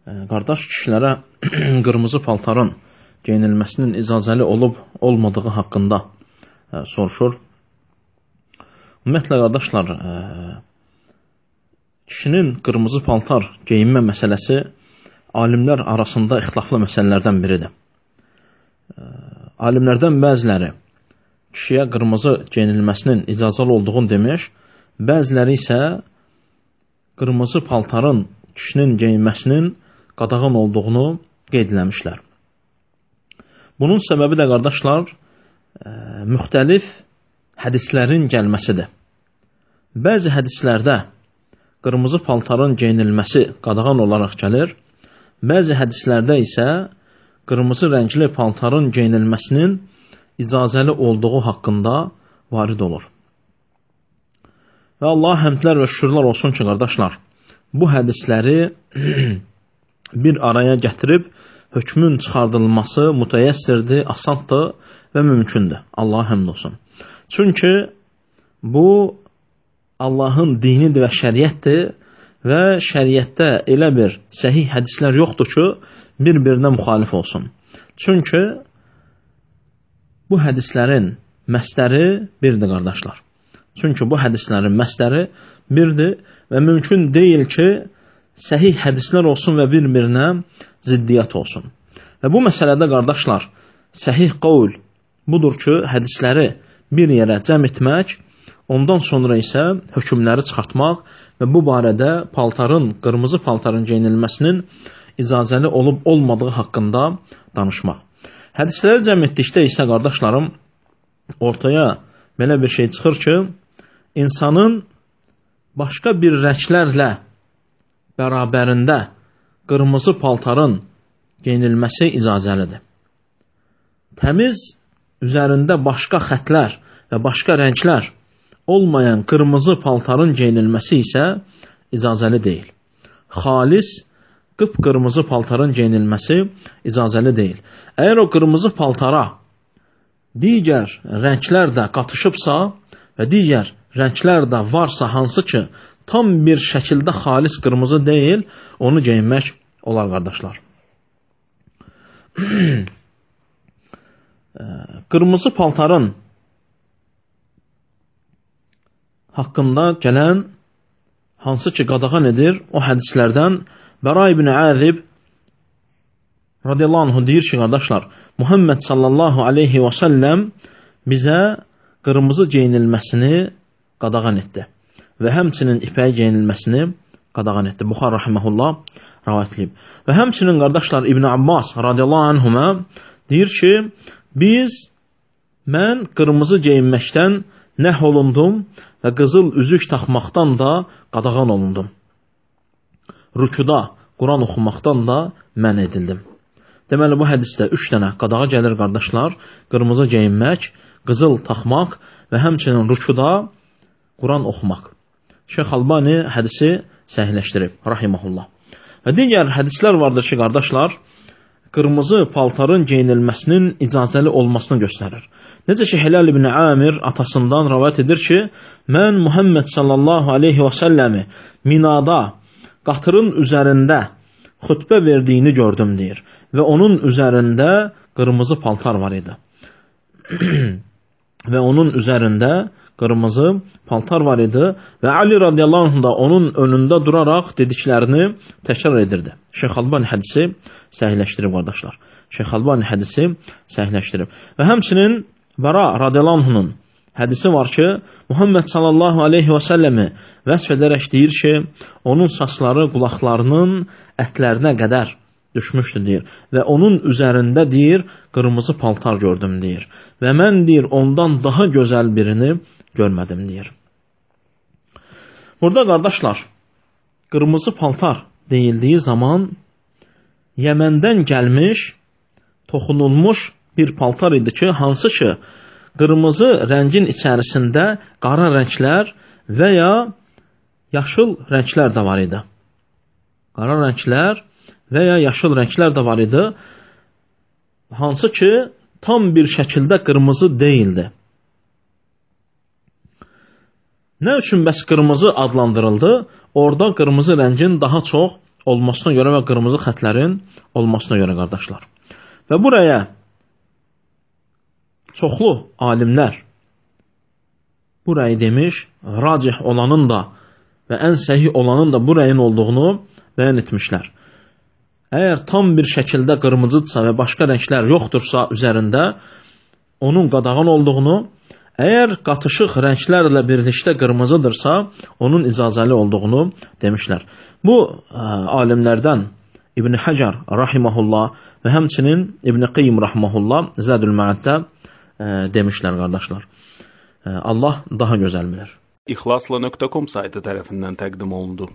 Qardaş kişilərə qırmızı paltarın geyinilməsinin icazəli olub-olmadığı haqqında soruşur. Ümumiyyətlə, qardaşlar, kişinin qırmızı paltar geyinmə məsələsi alimlər arasında ixtilaflı məsələlərdən biridir. Alimlərdən bəziləri kişiyə qırmızı geyinilməsinin icazəli olduğunu demiş, bəziləri isə qırmızı paltarın kişinin geyinməsinin qadağan olduğunu qeyd eləmişlər. Bunun səbəbi də, qardaşlar, müxtəlif hədislərin gəlməsidir. Bəzi hədislərdə qırmızı paltarın geyinilməsi qadağan olaraq gəlir, bəzi hədislərdə isə qırmızı rəngli paltarın geyinilməsinin icazəli olduğu haqqında varid olur. Və Allah həmdlər və şükürlər olsun ki, qardaşlar, bu hədisləri bir araya gətirib hökmün çıxardılması mütəyyəssirdir, asandır və mümkündür. Allah həmd olsun. Çünki bu Allahın dinidir və şəriətdir və şəriətdə elə bir səhih hədislər yoxdur ki, bir-birinə müxalif olsun. Çünki bu hədislərin məsdəri birdir, qardaşlar. Çünki bu hədislərin məsdəri birdir və mümkün deyil ki, səhih hədislər olsun və bir-birinə ziddiyyət olsun. Və bu məsələdə, qardaşlar, səhih qavl budur ki, hədisləri bir yerə cəm etmək, ondan sonra isə hökmləri çıxartmaq və bu barədə qırmızı paltarın geyinilməsinin icazəli olub-olmadığı haqqında danışmaq. Hədisləri cəm etdikdə isə, qardaşlarım, ortaya belə bir şey çıxır ki, insanın başqa bir rənglərlə bərabərində qırmızı paltarın geyinilməsi icazəlidir. Təmiz üzərində başqa xətlər və başqa rənglər olmayan qırmızı paltarın geyinilməsi isə icazəli deyil. Xalis, qıpqırmızı paltarın geyinilməsi icazəli deyil. Əgər o qırmızı paltara digər rənglər də qatışıbsa və digər rənglər də varsa, hansı ki, tam bir şəkildə xalis qırmızı deyil, onu geyinmək olar, qardaşlar. Qırmızı paltarın haqqında gələn hansı ki qadağan edir, o hədislərdən Bəra ibn Azib radiyallahu anhu deyir ki, qardaşlar, Muhammed sallallahu aleyhi və səlləm bizə qırmızı geyinilməsini qadağan etdi və həmçinin ipək geyinilməsini qadağan etdi. Buxar rahiməhullah rivayətləyib. Və həmçinin, qardaşlar, İbn Abbas radiyallahu anhuma deyir ki, mən qırmızı geyinməkdən nəh olundum və qızıl üzük taxmaqdan da qadağan olundum. Rükuda Quran oxumaqdan da mən edildim. Deməli, bu hədisdə 3 dənə qadağa gəlir, qardaşlar. Qırmızı geyinmək, qızıl taxmaq və həmçinin rükuda Quran oxumaq. Şeyx Albani hədisi səhihləşdirib, rahiməhullah. Və digər hədislər vardır ki, qardaşlar, qırmızı paltarın geyinilməsinin icazəli olmasını göstərir. Necə ki, Hilal ibn Amir atasından rivayət edir ki, mən Muhammed sallallahu aleyhi və səlləmi Minada qatırın üzərində xütbə verdiyini gördüm, deyir. Və onun üzərində qırmızı paltar var idi. Və onun üzərində qırmızı paltar var idi və Ali radiyallahu anh da onun önündə duraraq dediklərini təkrar edirdi. Şeyx Albani hədisi səhihləşdirib, qardaşlar. Şeyx Albani hədisi səhihləşdirib. Və həmçinin Bəra radiyallahu anh'ın hədisi var ki, Muhammed sallallahu aleyhi və səlləmi vəsf edərək deyir ki, onun saçları qulaqlarının ətlərinə qədər düşmüşdü, deyir. Və onun üzərində, deyir, qırmızı paltar gördüm, deyir. Və mən, deyir, ondan daha gözəl birini görmədim, deyir. Burada, qardaşlar, qırmızı paltar deyildiyi zaman Yəməndən gəlmiş, toxunulmuş bir paltar idi ki, hansı ki, qırmızı rəngin içərisində qara rənglər və ya yaşıl rənglər də var idi. Qara rənglər və ya yaşıl rənglər də var idi, hansı ki, tam bir şəkildə qırmızı deyildi. Nə üçün bəs qırmızı adlandırıldı? Orada qırmızı rəngin daha çox olmasına görə və qırmızı xətlərin olmasına görə qardaşlar. Və buraya çoxlu alimlər burayı demiş, racih olanın da və ən səhih olanın da bu rəyin olduğunu bəyan etmişlər. Əgər tam bir şəkildə qırmızıdırsa və başqa rənglər yoxdursa üzərində, onun qadağan olduğunu, əgər qatışıq rənglərlə birlikdə qırmızıdırsa, onun icazəli olduğunu demişlər. Bu alimlərdən İbn Həcər rahimehullah və həmçinin İbn Qayyim rahimehullah Zədül Məəddə demişlər qardaşlar. Allah daha gözəl bilir. İxlasla.com saytı tərəfindən təqdim olundu.